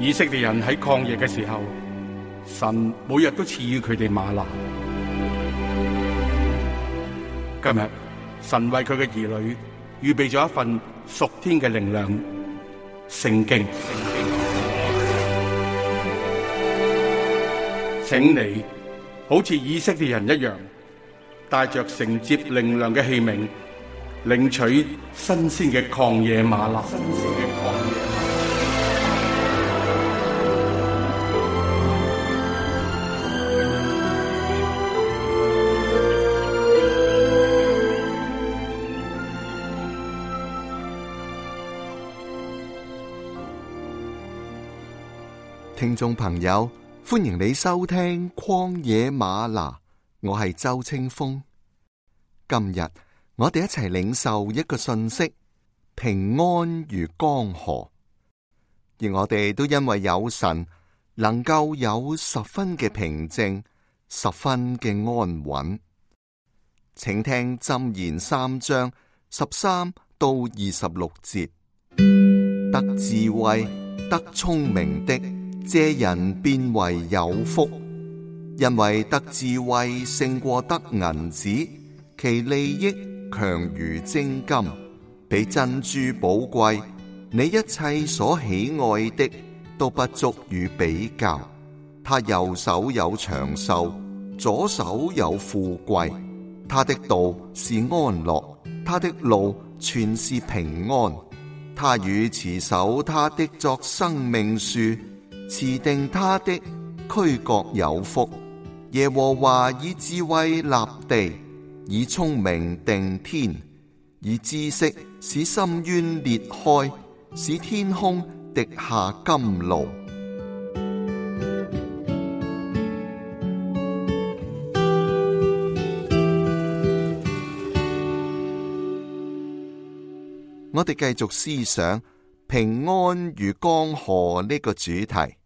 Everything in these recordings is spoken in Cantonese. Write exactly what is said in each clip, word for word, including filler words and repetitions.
以色列人喺曠野嘅時候，神每日都賜予佢哋嗎哪。今日神為佢嘅兒女預備咗一份屬天嘅靈糧——聖經。請你好似以色列人一樣，帶着承接靈糧嘅器皿，領取新鮮嘅曠野嗎哪。新鮮嘅曠野嗎哪。聽眾朋友，歡迎你收聽曠野嗎哪，我係周清風。今日我哋一齊領受一個訊息：平安如江河。而我哋都因為有神，能夠有十分嘅平靜，十分嘅安穩。請聽箴言三章十三到二十六節：得智慧、得聰明的，這人變為有福，因為得智慧勝過得銀子，其利益強如精金，比珍珠寶貴。你一切所喜愛的都不足與比較。他右手有長壽，左手有富貴。他的道是安樂，他的路全是平安。他與持守他的作生命樹，持定他的俱各有福。耶和華以智慧立地，以聰明定天，以知識使深淵裂開，使天空滴下甘露。我哋繼續思想平安如江河呢個主題。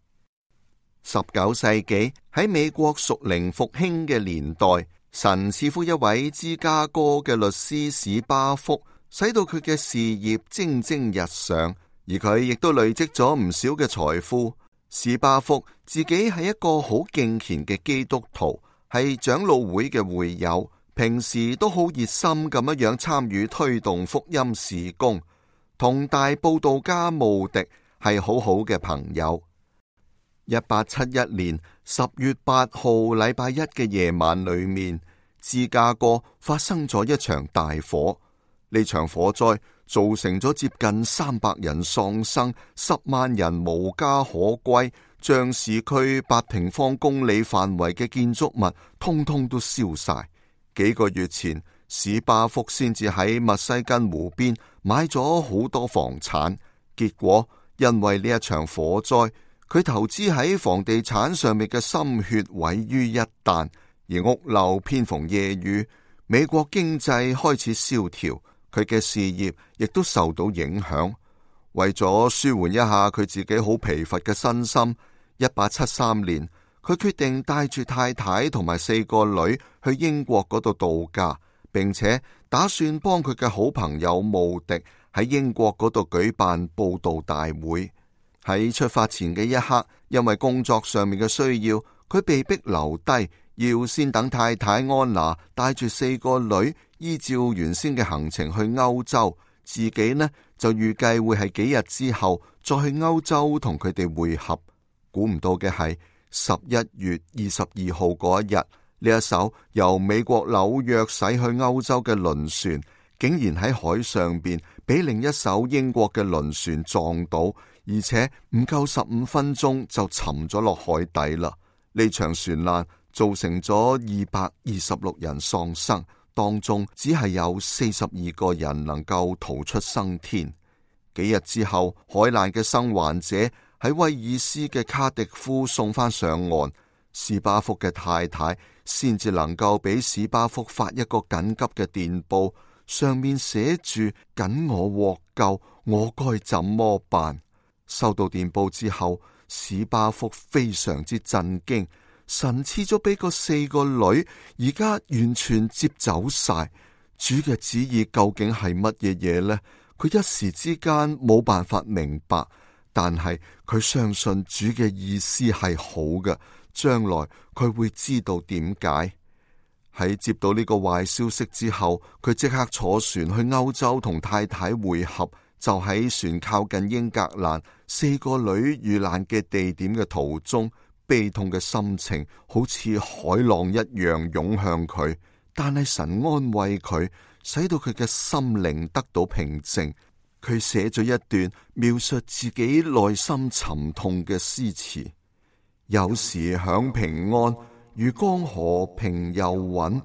十九世紀喺美國屬靈復興嘅年代，神賜福一位芝加哥嘅律師史巴福，使到佢嘅事業蒸蒸日上，而佢亦都累積咗唔少嘅財富。史巴福自己係一個好敬虔嘅基督徒，係長老會嘅會友，平時都好熱心咁樣樣參與推動福音事工，同大佈道家慕迪係好好嘅朋友。一八七一年十月八號禮拜一嘅夜晚裏面，芝加哥發生咗一場大火。呢場火災造成咗接近三百人喪生，十萬人無家可歸，將市區八平方公里範圍嘅建築物通通都燒晒。幾個月前，史巴福先至喺密西根湖邊買咗好多房產，結果因為呢一場火災，佢投資喺房地產上面嘅心血毀於一旦，而屋漏偏逢夜雨，美國經濟開始蕭條，佢嘅事業亦都受到影響。為咗舒緩一下佢自己好疲乏嘅身心，一八七三年，佢決定帶住太太同埋四個女去英國嗰度度假，並且打算幫佢嘅好朋友慕迪喺英國嗰度舉辦佈道大會。喺出發前嘅一刻，因為工作上面嘅需要，佢被迫留低，要先等太太安娜帶住四個女依照原先嘅行程去歐洲，自己呢就預計會係幾日之後再去歐洲同佢哋會合。估唔到嘅係十一月二十二號嗰一日，呢一艘由美國紐約駛去歐洲嘅輪船，竟然喺海上邊俾另一艘英國嘅輪船撞到，而且唔夠十五分鐘就沉咗落海底啦。呢場船難造成咗二百二十六人喪生，當中只係有四十二個人能夠逃出生天。幾日之後，海難嘅生還者喺威爾斯嘅卡迪夫送翻上岸，史巴福嘅太太先至能夠俾史巴福發一個緊急嘅電報，上面寫住緊我獲救，我該怎麼辦？收到電報之後，史巴福非常之震驚，神賜咗俾個四個女，而家完全接走晒。主嘅旨意究竟係乜嘢嘢呢？佢一時之間冇辦法明白，但係佢相信主嘅意思係好嘅，將來佢會知道點解。喺接到呢個壞消息之後，佢即刻坐船去歐洲同太太會合，就喺船靠近英格蘭四個女遇難嘅地點嘅途中，悲痛嘅心情好似海浪一樣湧向佢，但係神安慰佢，使到佢嘅心靈得到平靜。佢寫咗一段描述自己內心沉痛嘅詩詞，有時享平安，如江河平又穩，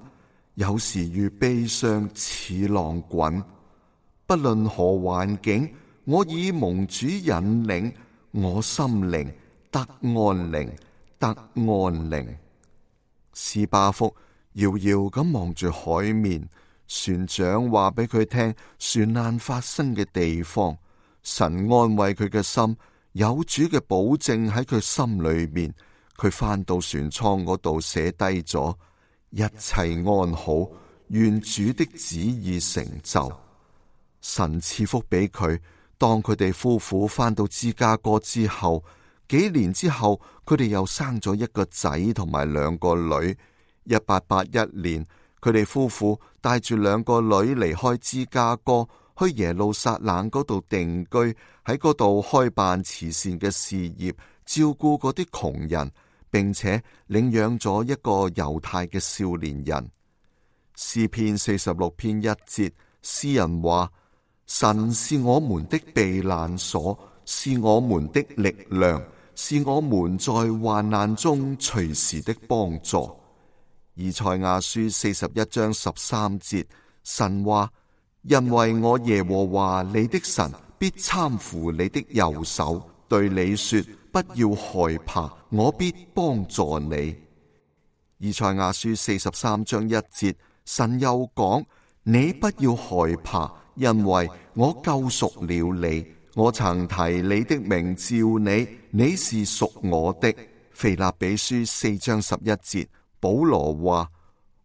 有時如悲傷似浪滾。不論何環境，我以蒙主引領，我心靈得安寧，得安寧。士巴福遙遙咁望住海面，船長話俾佢聽船難發生嘅地方。神安慰佢嘅心，有主嘅保證喺佢心裏面。佢返到船艙嗰度寫低咗一切安好，願主的旨意成就。神賜福俾佢。當佢哋夫婦返到芝加哥之後，幾年之後，佢哋又生咗一個仔同埋兩個女。一八八一年，佢哋夫婦帶住兩個女離開芝加哥，去耶路撒冷嗰度定居，喺嗰度開辦慈善嘅事業，照顧嗰啲窮人，並且領養咗一個猶太嘅少年人。詩篇四十六篇一節，詩人話：神是我們的避難所，是我們的力量，是我們在患難中隨時的幫助。以賽亞書四十一章十三節，神話：因為我耶和華你的神必攙扶你的右手，對你說不要害怕，我必幫助你。以賽亞書四十三章一節，神又講：你不要害怕，因為我救贖了你，我曾提你的名召你，你是屬我的。腓立比書四章十一節，保羅話：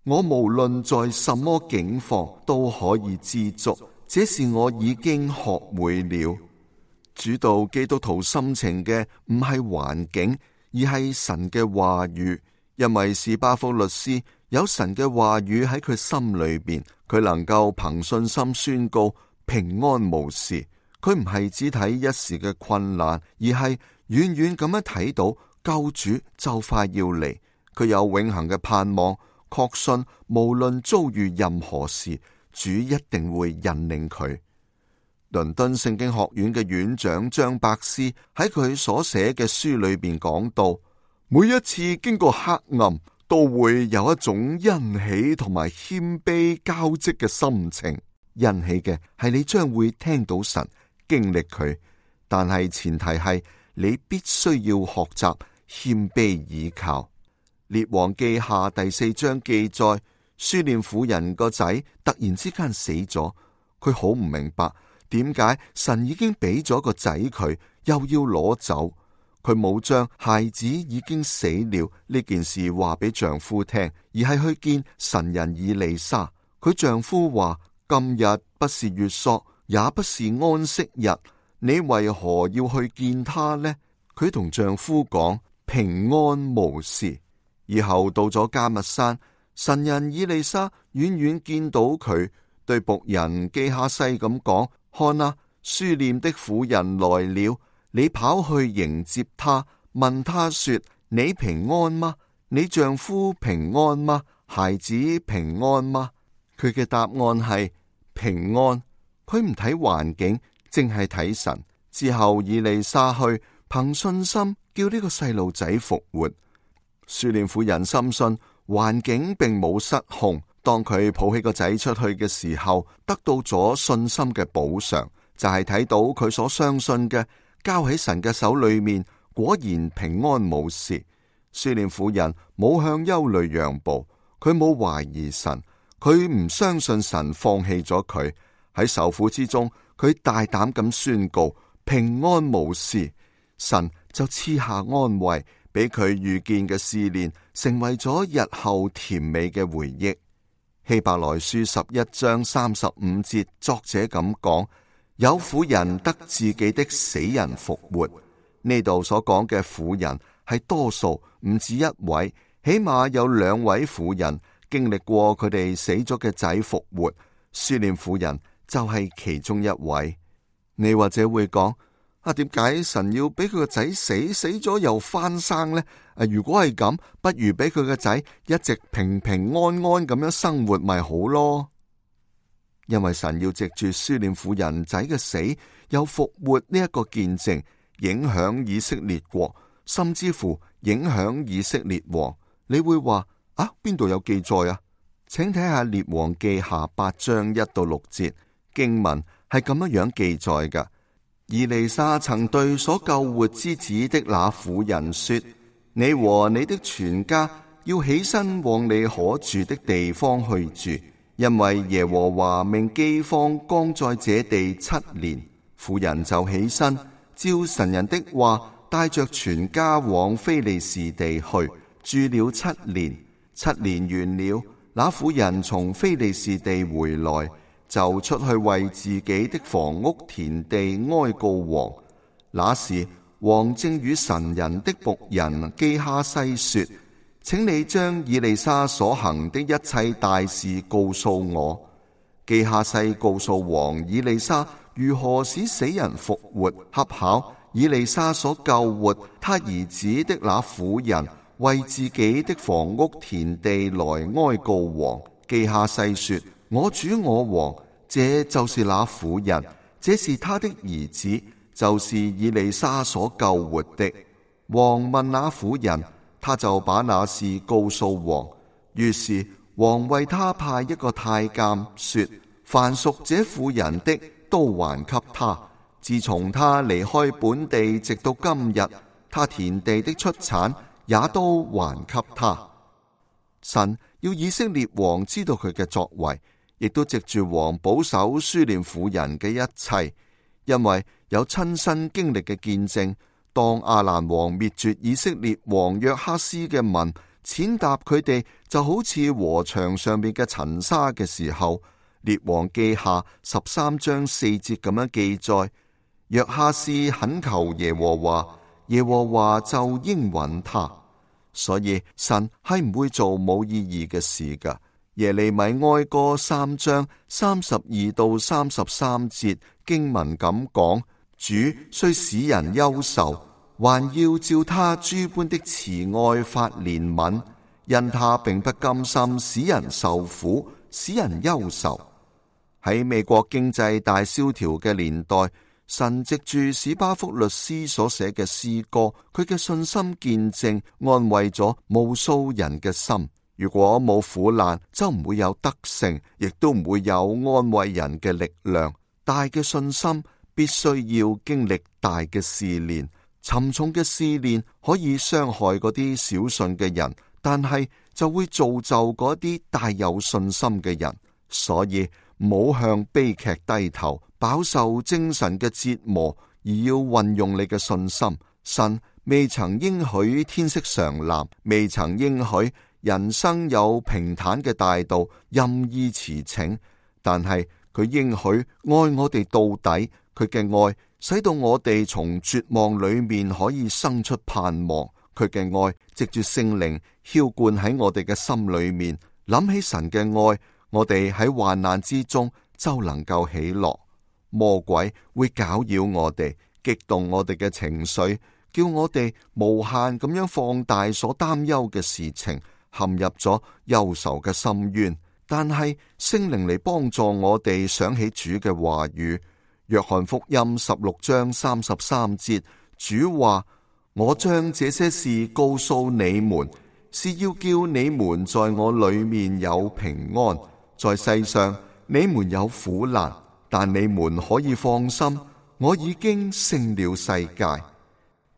我無論在什麼境況都可以知足，這是我已經學會了。主導基督徒心情嘅唔係環境，而係神嘅話語。因為士巴福律師有神嘅話語喺佢心裏邊，佢能夠憑信心宣告平安無事。佢唔係只睇一時嘅困難，而係遠遠咁樣睇到救主就快要嚟。佢有永恆嘅盼望，確信無論遭遇任何事，主一定會引領佢。倫敦聖經學院嘅院長張伯斯喺佢所寫嘅書裏邊講到，每一次經過黑暗，都會有一種欣喜同埋謙卑交織嘅心情。欣喜嘅係你將會聽到神，經歷佢，但係前提係你必須要學習謙卑倚靠。列王記下第四章記載，書念婦人個仔突然之間死咗，佢好唔明白點解神已經俾咗個仔佢，又要攞走。佢冇將孩子已經死了呢件事話俾丈夫聽，而係去見神人以利沙。佢丈夫話：今日不是月朔，也不是安息日，你為何要去見他呢？佢同丈夫講：平安無事。以後到咗迦密山，神人以利沙遠遠見到佢，對僕人基哈西咁講：看啊，書念的婦人來了，你跑去迎接他，問他說：你平安嗎？你丈夫平安嗎？孩子平安嗎？佢嘅答案係平安。佢唔睇環境，淨係睇神。之後以利沙去憑信心叫呢個細路仔復活。書念婦人深信環境並冇失控，當佢抱起個仔出去嘅時候，得到咗信心嘅補償，就係睇到佢所相信嘅交喺神嘅手裏面，果然平安無事。書念婦人冇向憂慮讓步，佢冇懷疑神，佢唔相信神放棄咗佢。喺受苦之中，佢大膽咁宣告平安無事，神就賜下安慰，俾佢遇見嘅試煉成為咗日後甜美嘅回憶。希伯來書十一章三十五節，作者咁講：有婦人得自己的死人復活。呢度所講嘅婦人係多數，唔止一位，起碼有兩位婦人經歷過佢哋死咗嘅仔復活。書念婦人就係其中一位。你或者會講，啊，點解神要俾佢個仔死，死咗又翻生呢？啊，如果係咁，不如俾佢個仔一直平平安安咁樣生活咪好咯？因為神要藉住書念婦人仔嘅死又復活呢一個見證，影響以色列國，甚至乎影響以色列王。你會話啊，邊度有記載啊？請睇下列王記下八章一到六節經文係咁樣樣記載㗎。以利沙曾對所救活之子的那婦人說：你和你的全家要起身往你可住的地方去住，因為耶和華命饑荒降在這地七年。婦人就起身，照神人的話，帶着全家往非利士地去，住了七年。七年完了，那婦人從非利士地回來，就出去為自己的房屋田地哀告王。那時王正與神人的僕人基哈西說：請你將以利沙所行的一切大事告訴我。基哈西告訴王以利沙如何使死人復活，恰巧以利沙所救活他兒子的那婦人為自己的房屋田地來哀告王。基哈西說：我主我王，這就是那婦人，這是他的兒子，就是以利沙所救活的。王問那婦人，他就把那事告訴王。於是王為他派一個太監，說：凡屬這婦人的都還給他。自從他離開本地直到今日，他田地的出產也都還給他。神要以色列王知道佢嘅作為，亦都藉住王保守書念婦人嘅一切，因為有親身經歷嘅見證。當亞蘭王滅絕以色列王約哈斯嘅民，踐踏佢哋就好似禾場上面嘅塵沙嘅時候，列王記下十三章四節咁樣記載：約哈斯懇求耶和華，耶和華就應允他。所以神係唔會做冇意義嘅事噶。耶利米哀歌三章三十二到三十三節經文咁講：主雖使人憂愁，還要照他諸般的慈愛發憐憫，因他並不甘心使人受苦，使人憂愁。喺美國經濟大蕭條嘅年代，神藉住史巴福律師所寫嘅詩歌，佢嘅信心見證安慰咗無數人嘅心。如果冇苦難，就唔會有得勝，亦都唔會有安慰人嘅力量。大嘅信心必須要經歷大嘅試煉，沉重嘅試煉可以傷害嗰啲小信嘅人，但係就會造就嗰啲大有信心嘅人。所以唔好向悲劇低頭，飽受精神嘅折磨，而要運用你嘅信心。神未曾應許天色常藍，未曾應許人生有平坦嘅大道，任意馳騁，但係佢應許愛我哋到底，佢嘅愛使到我哋從絕望裏面可以生出盼望，佢嘅愛藉住聖靈澆灌喺我哋嘅心裏面，諗起神嘅愛，我哋喺患難之中就能夠喜樂。魔鬼會攪擾我哋，激動我哋嘅情緒，叫我哋無限咁樣放大所擔憂嘅事情，陷入咗憂愁嘅深淵。但係聖靈嚟幫助我哋想起主嘅話語。約翰福音十六章三十三節，主話：我將這些事告訴你們，是要叫你們在我裏面有平安。在世上你們有苦難，但你們可以放心，我已經勝了世界。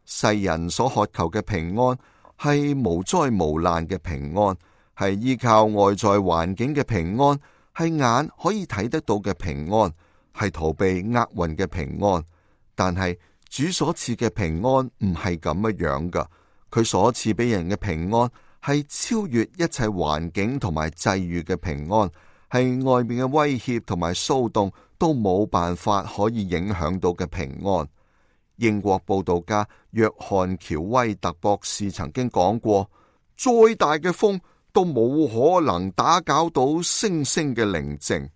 世人所渴求嘅平安係無災無難嘅平安，係依靠外在環境嘅平安，係眼可以睇得到嘅平安，係逃避厄運嘅平安。但係主所賜嘅平安唔係咁樣樣噶，佢所賜俾人嘅平安係超越一切環境同埋際遇嘅平安，係外面嘅威脅同埋騷動都冇辦法可以影響到嘅平安。英國佈道家約翰喬威特博士曾經講過，再大嘅風都冇可能打攪到星星嘅寧靜。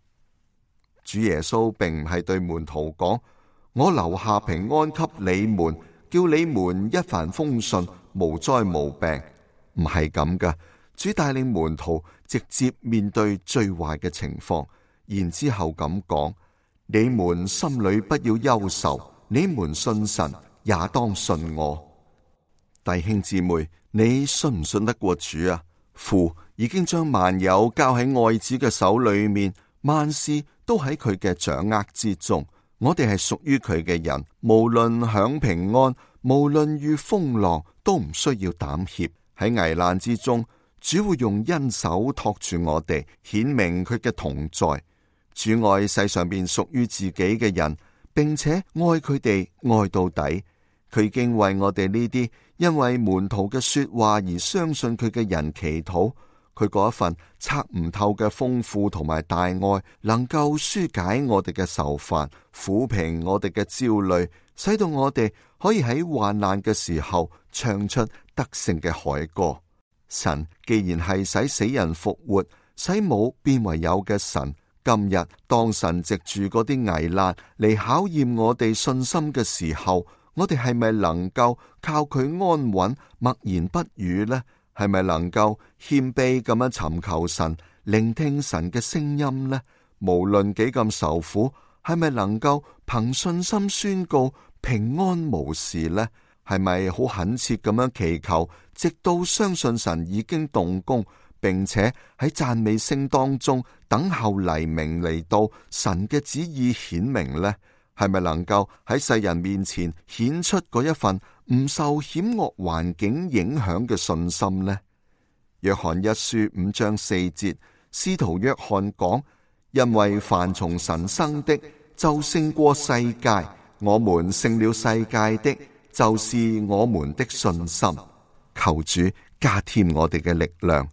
主耶穌並唔係對門徒講，我留下平安給你們，叫你們一帆風順，無災無病。唔係咁噶。主帶領門徒直接面對最壞嘅情況，然之後咁講，你們心裏不要憂愁，你們信神也當信我。弟兄姊妹，你信唔信得過主啊？父已經將萬有交喺愛子嘅手裏面，萬事都喺佢嘅掌握之中。我哋係屬於佢嘅人，無論享平安，無論遇風浪，都唔需要膽怯。喺危難之中，主會用恩手托住我哋，顯明佢嘅同在。主愛世上邊屬於自己嘅人，並且愛佢哋愛到底。佢已經為我哋呢啲因為門徒嘅說話而相信佢嘅人祈禱。佢嗰一份測唔透嘅豐富同埋大愛，能夠紓解我哋嘅愁煩，撫平我哋嘅焦慮，使到我哋可以喺患難嘅時候唱出得勝嘅凱歌。神既然係使死人復活，使冇變為有嘅神，今日當神藉住嗰啲危難嚟考驗我哋信心嘅時候，我哋係咪能夠靠佢安穩默然不語呢？係咪能夠謙卑咁樣尋求神，聆聽神嘅聲音呢？無論幾咁受苦，係咪能夠憑信心宣告平安無事呢？係咪好懇切咁樣祈求，直到相信神已經動工，並且喺讚美聲當中等候黎明嚟到，神嘅旨意顯明呢？係咪能夠喺世人面前顯出嗰一份唔受險惡環境影響嘅信心呢？約翰一書五章四節，使徒約翰講：因為凡從神生的，就勝過世界；我們勝了世界的，就是我們的信心。求主加添我哋嘅力量，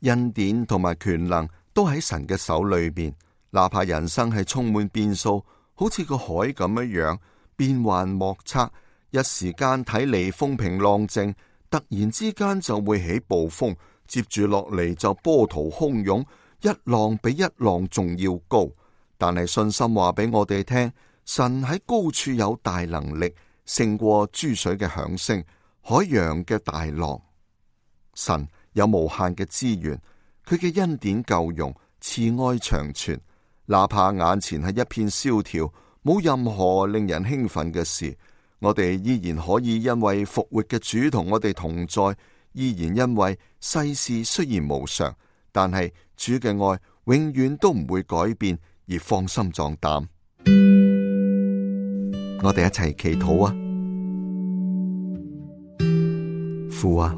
恩典同埋權能都喺神嘅手裏邊。哪怕人生係充滿變數，好似個海咁樣樣，變幻莫測，一時間睇嚟風平浪靜，突然之間就會起暴風，接住落嚟就波濤洶湧，一浪比一浪仲要高。但係信心話俾我哋聽，神喺高處有大能力，勝過諸水嘅響聲，海洋嘅大浪。神有無限嘅資源，佢嘅恩典夠用，慈愛長存。哪怕眼前係一片蕭條，冇任何令人興奮嘅事，我哋依然可以因為復活嘅主同我哋同在，依然因為世事雖然無常，但係主嘅愛永遠都唔會改變，而放心壯膽。我哋一齊祈禱啊！父啊，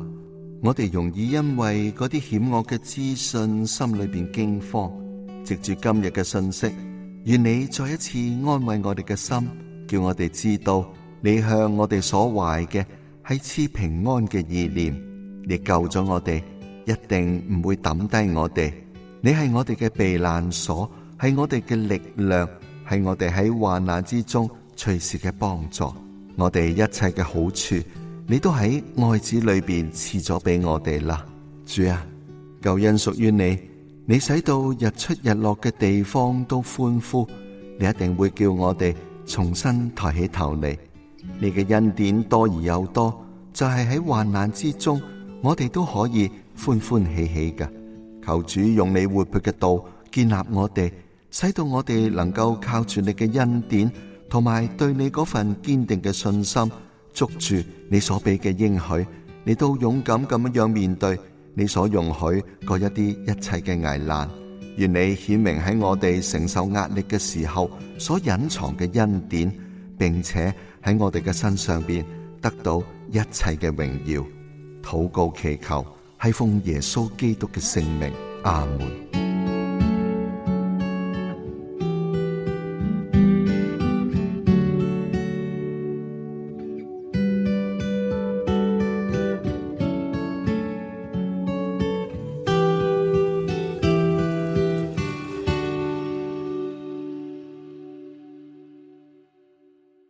我哋容易因為嗰啲險惡嘅資訊，心裏邊驚慌。藉住今日嘅信息，願你再一次安慰我哋嘅心，叫我哋知道你向我哋所懷嘅係賜平安嘅意念。你救咗我哋，一定唔會抌低我哋。你係我哋嘅避難所，係我哋嘅力量，係我哋喺患難之中隨時嘅幫助。我哋一切嘅好處，你都喺愛子裏邊賜咗俾我哋啦。主啊，救恩屬於你。你使到日出日落嘅地方都歡呼，你一定會叫我哋重新抬起頭嚟。你嘅恩典多而又多，就係喺患難之中，我哋都可以歡歡喜喜嘅。求主用你活潑嘅道建立我哋，使到我哋能夠靠住你嘅恩典，同埋對你嗰份堅定嘅信心，捉住你所俾嘅應許，你都勇敢咁樣面對你所容許嗰一啲一切嘅危難。願你顯明喺我哋承受壓力嘅時候所隱藏嘅恩典，並且喺我哋嘅身上邊得到一切嘅榮耀。禱告祈求係奉耶穌基督嘅聖名，阿門。